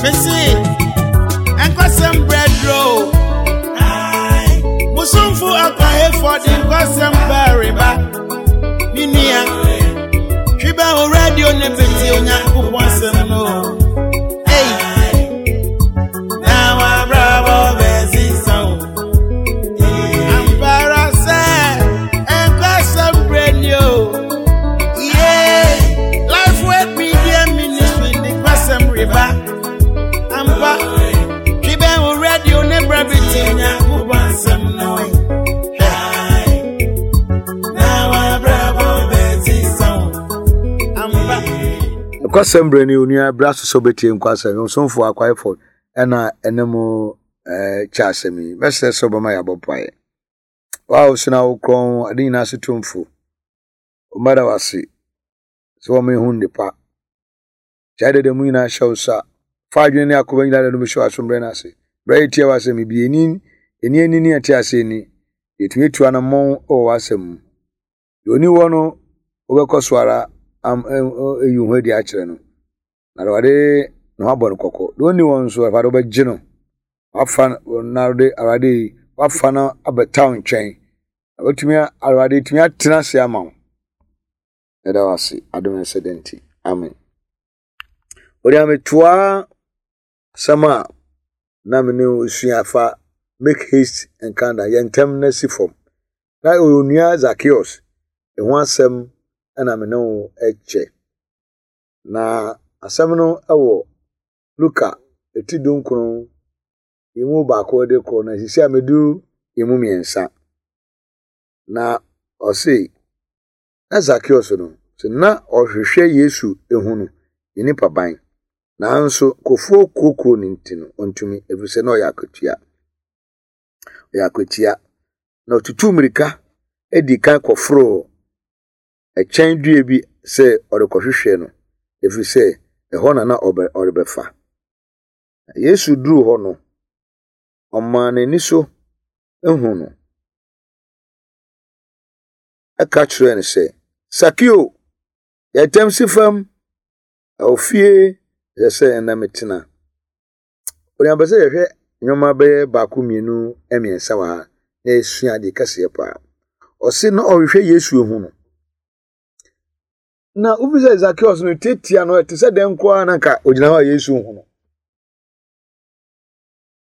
Mese, nkwasɛm brɛduro. Musumfo akwahefo de nkwasɛm bɛreba. Me nua, twi bɛ wo radio ne bete Onyankopɔn asɛm no. Ei, na wabrabɔ bɛsesa o. Ampara sɛ nkwasɛm brɛ ni o. Yeah, Life Word Media Ministry de nkwasɛm reba. Ampa, twi bɛ wo radio ne brɛ bete Onyankopɔn asɛm no. Hwɛ, na wabrabɔ bɛsesa o. Ampa. Nokwasɛm berɛ ni onua berɛ aso sɛ wobɛtie nkwasɛm ɔsomfoɔ Akwaefo ɛna ɛne mo kyɛ asɛm yi mɛsrɛ sɛ wobɛma yɛabɔ mpaeɛ wo a wosena wo korɔn ade nyinaa so tumfo wɔmmɛda wo ase sɛ wɔma ɛhu nnepa gyae dada mu nyinaa hyɛ wo sa fa adwene ne akoma nyinaa da no bɛhyɛ w'asombrɛ no ase berɛ yɛtie w'asɛm yi bi ɛni ɛni ani ne ɛte ase ani yɛtumi atu anammɔn wɔ w'asɛm mu deɛ ɔni hɔ no wobɛkɔ so ara am ayi wo ho adi akyerɛ no na Awurade na wabɔ no kɔkɔ deɛ ɔnni hɔ nso Awurade wobɛgye no wafa na Awurade Awurade wafa no abɛta wo nkyɛn na watumi Awurade tumi atena ase ama wo ɛda wo ase adom ɛsɛ dɛ nti amen wɔde ametoa asɛm a na me ne wo sua fa make haste and calm down yɛ ntɛm na si fam na onua Zacchaeus ɛho asɛm na me ne wo kyɛ na asɛm no wɔ Luka ti dunkron emu baako de kɔ na sisi a medu emu mmiɛnsa na ɔse Na Zakeus no, sɛ na ɔrehwehwɛ Yesu ahu no, ne nipaban. Nanso nkurɔfoɔ kuokuo no nti no, ɔntumi, ɛfiri sɛ na ɔyɛ akatua. Ɔyɛ akwatia. Na ɔtutuu mmirika dii kan kɔforoo ɛkyɛn dua bi sɛ ɔrekɔhwehwɛ no, ɛfiri sɛ ɛhɔ na na ɔrebɛfa. Na Yesu duruu hɔ no, ɔmaa n'ani so huu no. ka kyerɛɛ no sɛ, Sakeo, yɛ ntɛm si fam, na wo fie ɛsɛ sɛ ɛnnɛ metena. Onua pɛ sɛ yɛhwɛ nneɛma bɛyɛ baako mmienu mmiɛnsa wɔ ha na yɛsua adeɛ kɛseɛ paa. Ɔse na ɔhwehwɛ Yesu ehu no. Na wofi sɛ Zakeus no tiatia no ɛte sɛ dɛn koraa na nka ogyina hɔ a Yesu hu no.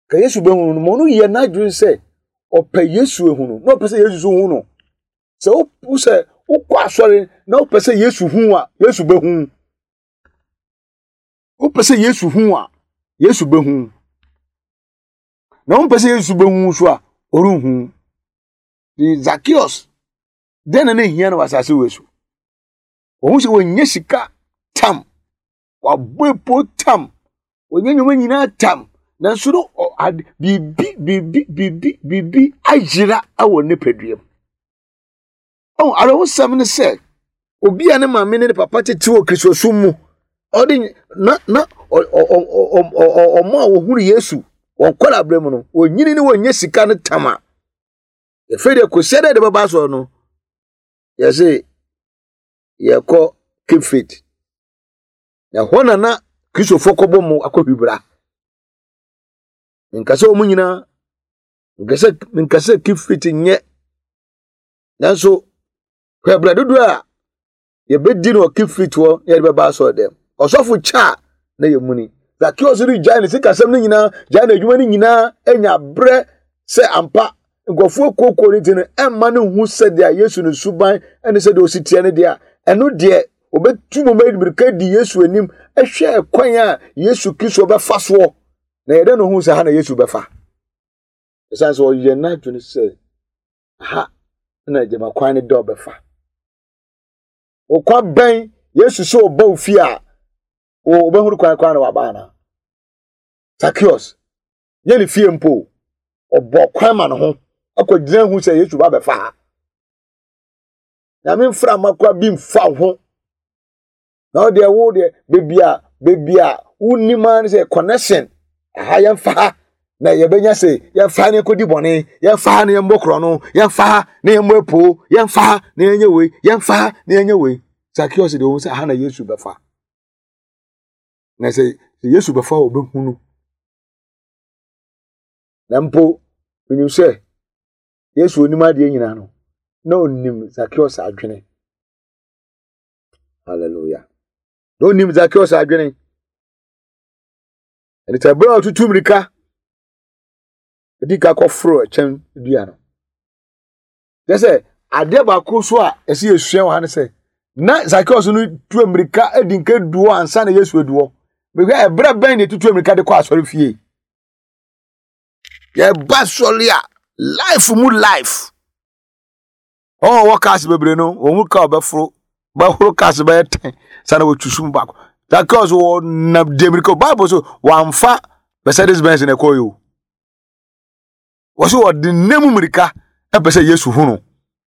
Ka Yesu bɛhu no ma ɔno yɛ n'adwene sɛ ɔpɛ Yesu ehu no na ɔpɛ sɛ Yesu nso hu no. Sɛ wo sɛ wokɔ asɔre na wopɛ sɛ Yesu hu a Yesu bɛhu. Wopɛ sɛ Yesu hu a Yesu bɛhu. Na wompɛ sɛ Yesu bɛhu nso a ɔrenhu. Zacchaeus dɛn na na ehia no wɔ asase wei so? Wɔn sɛ wɔnyɛ sika tam wabɔ epo tam wɔnyɛ nneɛma nyinaa tam nanso no ade biribi biribi biribi biribi ayera wɔ ne nipadua mu ɔn awerɛhosɛm ne sɛ obi a ne maame ne ne papa tete wɔ kristosom mu ɔde na na ɔ ɔ ɔ ɔ ɔmo a wɔhunu yesu wɔn kɔla abere mu no wɔnyini ne wɔnyɛ sika no tam a efe deɛ kɔsia dɛ de bɛba asɔre no yɛse yɛkɔ cape faith na ɛhɔ na na kristofoɔ kɔbɔ mu akɔhwibra nka sɛ wɔn nyinaa nka sɛ nka sɛ cape faith nyɛ nanso hwɛ berɛ dodoɔ a yɛbɛdi no wɔ cape faith hɔ na yɛde bɛba asɔre dɛm ɔsɔfo kyɛ a na yɛ muni Zakeus no gyae ne sikasɛm no nyinaa gyae n'adwuma no nyinaa anya berɛ sɛ ampa nkurɔfoɔ kuokuo no nti no ɛmma no hu sɛdeɛ Yesu no suban ne sɛdeɛ ɔsi teɛ no deɛ a ɛno deɛ ɔbɛtu mu mmirika di Yesu anim hwɛ kwan a Yesu Kristo bɛfa soɔ na yɛdɛ no hu sɛ ha na Yesu bɛfa ɛsiane sɛ ɔyɛ n'adwene sɛ ha na gyama kwan no dɛ ɔbɛfa ɔkwan bɛn Yesu sɛ ɔba wo fie a wɔbɛhunu kwan kwan na waba anaa Zacchaeus nyɛ ne fie mpo ɔbɔ kwan ma ne ho akɔgyina hu sɛ Yesu ba bɛfa ha nyame mframa kora bi mfa ho na ɔdeɛ wo deɛ beebi a beebi a wonim ara ne sɛ connection aha yɛmfa ha na yɛbɛnya sɛ yɛmfa ha na yɛnkɔdi bɔne yɛmfa ha na yɛmmɔ korɔ no yɛmfa ha na yɛmmɔ apoo yɛmfa ha na yɛnyɛ wei yɛmfa ha na yɛnyɛ wei Zacchaeus deɛ ɔhu sɛ aha na Yesu bɛfa na sɛ Sɛ Yesu bɛfa hɔ ɔbɛhu no. Na mpo menim sɛ Yesu onim adeɛ nyinaa no, na onim Zacchaeus adwene. Hallelujah. Na onim Zacchaeus adwene. Ɛne sɛ berɛ a ɔtutu mmirika ɛdi ka kɔforo ɛkyɛn dua no. Kyerɛ sɛ adeɛ baako so a ɛsɛ yɛsua wɔ ha ne sɛ na Zacchaeus no tu mmirika di nka du hɔ ansa na Yesu adu hɔ. Mehwɛ ɛberɛ bɛn na ɛtutu mmirika de kɔ asɔre fie. Yɛba sɔre a life mu life. Wɔn a wɔwɔ cars bebree no wɔn mu car bɛforo bɛhoro cars bɛyɛ tɛn sanni wɔtwi sum baako. Zacchaeus wɔ nam di mmirika Bible so wɔamfa Mercedes Benz na ɛkɔɔ yi o. Wɔso wɔde nna mu mmirika pɛ sɛ Yesu hu no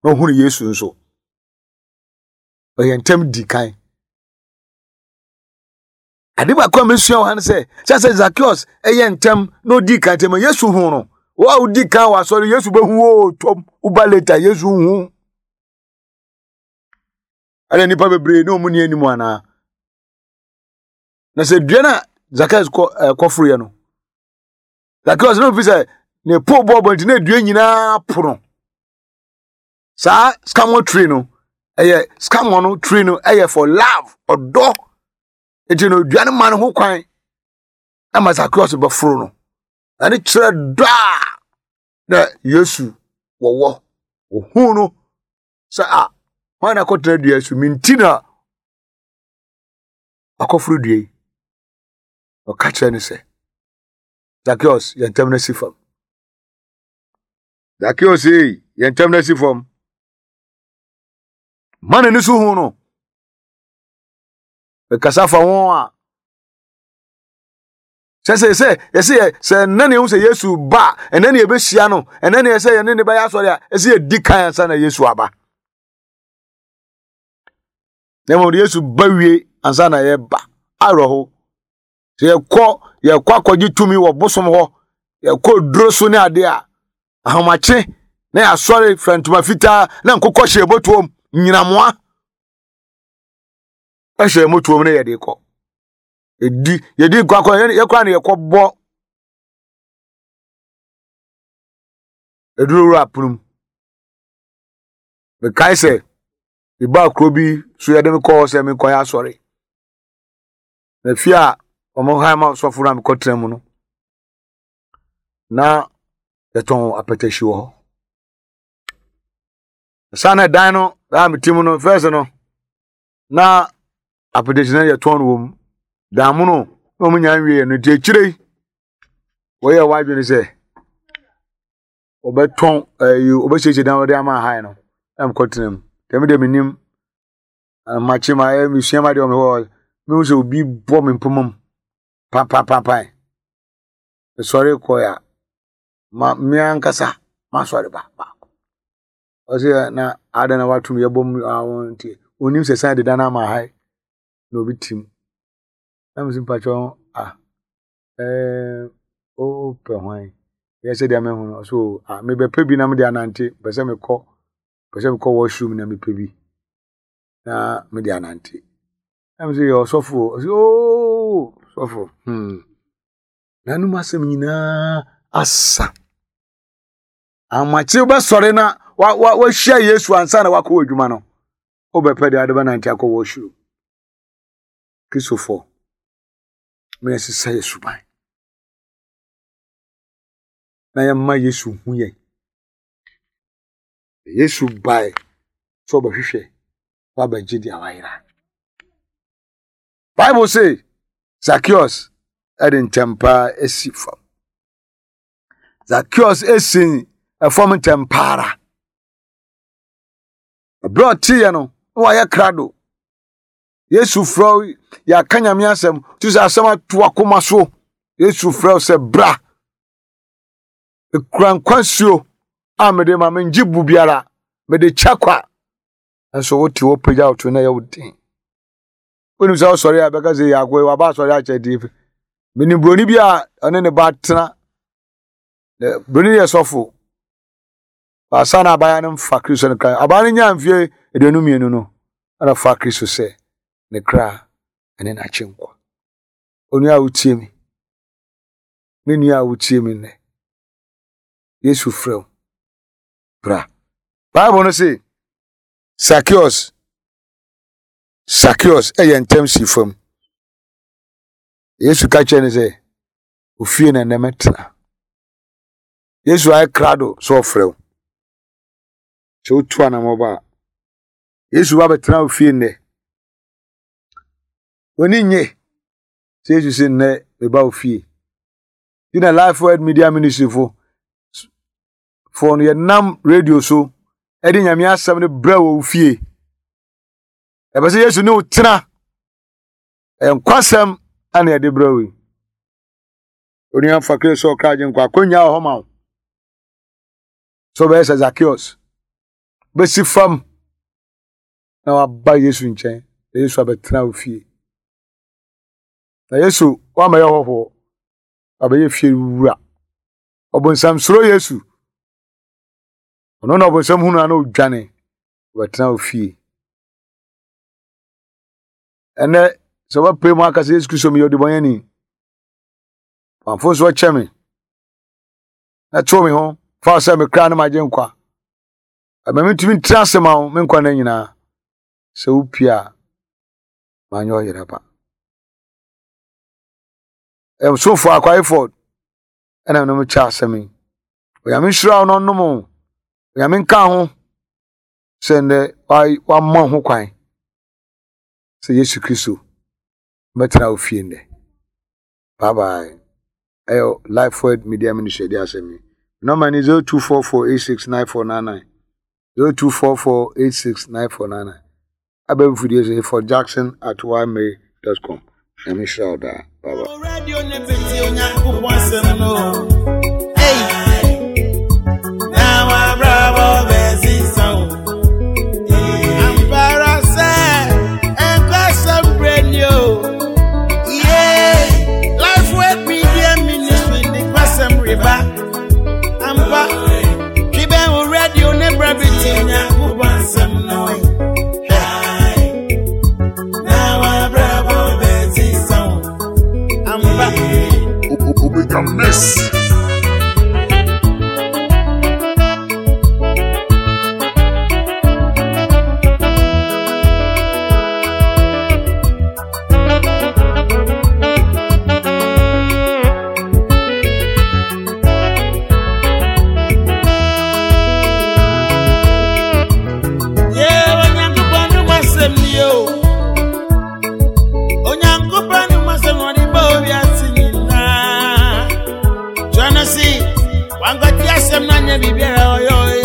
na ɔhunu Yesu nso. Ɔyɛ ntɛm di kan. Ade baako a mesua wɔ ha ne sɛ, sɛ sɛ Zacchaeus yɛ ntɛm na ɔdi kan ntɛm Yesu hu no. Wo a wodi kan wɔ asɔre Yesu bɛhu wo tɔm woba later Yesu hu. Ɛna nnipa bebree ne wɔn ni anim anaa. Na sɛ dua no a Zacchaeus kɔ ɛkɔforoyɛ no Zacchaeus no fi sɛ ne po bɔɔbɔ nti na dua nyinaa po no saa scammer tree no ɛyɛ scammer no tree no ɛyɛ for love ɔdɔ nti no dua no ma no ho kwan ama Zacchaeus bɛforo no ɛne kyerɛ dɔ a na Yesu wɔwɔ ohun no sɛ a hwan na akɔtena dua so menti na akɔforo dua yi ɔka kyerɛ no sɛ Zacchaeus, yɛn ntam no si fam. Zacchaeus, ei, yɛn ntam no si fam. Ma n'ani so hu no. Mekasa fa ho a. Sɛ sɛ sɛ yɛsɛ yɛ sɛ ɛnɛ na ehu sɛ Yesu ba ɛnɛ na yɛbɛhyia no ɛnɛ na yɛsɛ yɛne ne bɛyɛ asɔre a ɛsɛ yɛdi kan ansa na Yesu aba. Na mmom Yesu ba wie ansa na yɛba awerɛho. Sɛ yɛkɔ yɛkɔ akɔgye tumi wɔ bosom hɔ, yɛkɔ duro so ne adeɛ a, ahomakye na yɛasɔre fira ntoma fitaa na nkokɔ hyɛ motoom, nyinamoa hyɛ motoom na yɛde kɔ. Yɛdi yɛdi nkɔ akɔ yɛkɔ a na yɛkɔbɔ aduro wura pono mu. Mekae sɛ mebaa kuro bi so yɛde me kɔɔ sɛ menkɔyɛ asɔre. Na fie a wɔn han ma sɔfo no a mekɔtena mu no, na yɛtɔn apɛtɛhyi wɔ hɔ. Saa na dan no a mete mu no fɛs no na apɛtɛhyi no yɛtɔn no wɔ mu. Dan mu no na wɔn nyinaa nwie no nti akyire yi wɔyɛ wɔn adwene sɛ wɔbɛtɔn ɛyi wɔbɛsiesie dan wɔde ama han no na mekɔtena mu. Dɛm deɛ menim Makye ma ayɛ mesua ma deɛ ɔmehɔ mehu sɛ obi bɔ me mpoma mu pampapapan mesɔre kɔɛ a ma me ankasa masɔre ba baako ɔsɛ na adɛn na watom yɛbɔ mu awon nti onim sɛ san deda no ama ha na obi tim na mesi mpakyɛ a ɛɛ wopɛ hwan yɛ sɛ deɛ mahu no ɔsɛ a mebɛpɛ bi na mede anante pɛ sɛ mekɔ pɛ sɛ mekɔ washroom na mepɛ bi na mede anante. Na me sɛ yɛ ɔsɔfo o. Ɔsɛ ooo sɔfo hmm. N'anom asɛm nyinaa asa. Amakye wobɛsɔre na wahyia Yesu ansa na wakɔ adwuma no. Wobɛpɛ deɛ ade bɛnante akɔ washroom. Kristofoɔ, ma yɛsesa yɛ suban. Na yɛma Yesu hu yɛn. Yesu bae sɛ ɔbɛhwehwɛ na wabɛgye deɛ wayera. Bible se Zacchaeus de ntɛm paa si fam. Zacchaeus si fam ntɛm paa ara. Ɛberɛ a ɔteeɛ no, na wayɛ krado. Yesu frɛ wo, yɛaka Nyame asɛm, tu sɛ asɛm ato akoma so. Yesu frɛ wo sɛ bra. Ekura nkwa nsuo a mede ma mengye bu biara, mede kyɛ kwa. Nso wote hɔ pagya wo to na ɛyɛ wo den. Wonim sɛ wosɔre a bɛka sɛ yɛ akoa waba asɔre akyɛ deɛ. Menim buroni bi a ɔne ne ba tena. Buroni yɛ sɔfo. Baasa na abaayewa no mfa Kristo ne kra. Abaayewa no nyaa mfeɛ 22 no, ɛna fa Kristo sɛ ne kra ne n'akyenkwa. Onua a wotie me, me nua a wotie me nnɛ, Yesu frɛ wo, bra. Bible no se, Zacchaeus, Zacchaeus ɛyɛ ntɛm si fam. Yesu ka kyerɛ no sɛ, ofie na nnɛ mɛtena. Yesu ayɛ krado sɛ ɔfrɛ wo. Sɛ wotu anamɔba a, Yesu ba bɛtena wo fie nnɛ. W'ani nnye sɛ Yesu sɛ nnɛ meba wo fie. Ti na Life Word Media Ministry fo foɔ no yɛnam radio so ɛde Nyame asɛm no brɛ wɔ wo fie. Ɛbɛ sɛ Yesu ne wo tena. Ɛyɛ nkwasɛm ana yɛde brɛ wo yi. Onua fa Kristo sɛ ɔkra agye nkwa akonnwa wɔ hɔ ma wo. Sɛ wobɛyɛ sɛ Zacchaeus, bɛsi fam na waba Yesu nkyɛn na Yesu abɛtena wo fie. Na Yesu wamɛyɛ hɔhoɔ, wabɛyɛ fie wura. Ɔbonsam suro Yesu. Ɔno na ɔbonsam hunu a na ɔdwane, ɔbɛtena wo fie. Ɛnɛ sɛ wobɛpere mu aka sɛ Yesu Kristo meyɛ ɔdebɔnyɛni, wamfo nso ɔkyɛ me na tew me ho fa sɛ me kra ne magye nkwa. Ɛma mentumi ntra ase ma wo me nkwa nna nyinaa. Sɛ wopie a, manyɛ ɔyera ba. Ɛsomfo Akwai Ford ɛna nom kyɛ asɛm yi. Onyame nhyira wo na ɔnom wo. Onyame nka ho sɛ nnɛ wama ho kwan sɛ Yesu Kristo bɛtena wo fie nnɛ. Bye bye. Ɛyɛ Life Word Media Ministry ɛde asɛm yi. Nɔmba ni 0244869499. 0244869499. Abɛn fidie so for Jackson at ymail.com. Nyame nhyira wo daa. Bye bye. Radio ne beti Onyankopɔn asɛm no. Hey. Na wa bravo besi so. Ampara sɛ ɛnkɔsɛm brɛ ni o. Yeah. Life Word Media Ministry de kwasɛm reba. Ampa. Twibɛn wo radio ne brɛ beti Onyankopɔn asɛm no. Na wa bravo besi so. Ampa. Omega Mess. Yeah, Onyankopɔn no masɛm ni o. Onyankopɔn no masɛm ɔde bɔ wiase nyinaa. Twerɛ no se, wankɔte asɛm no anyɛ biribiara ɔyɛ ɔyɛ.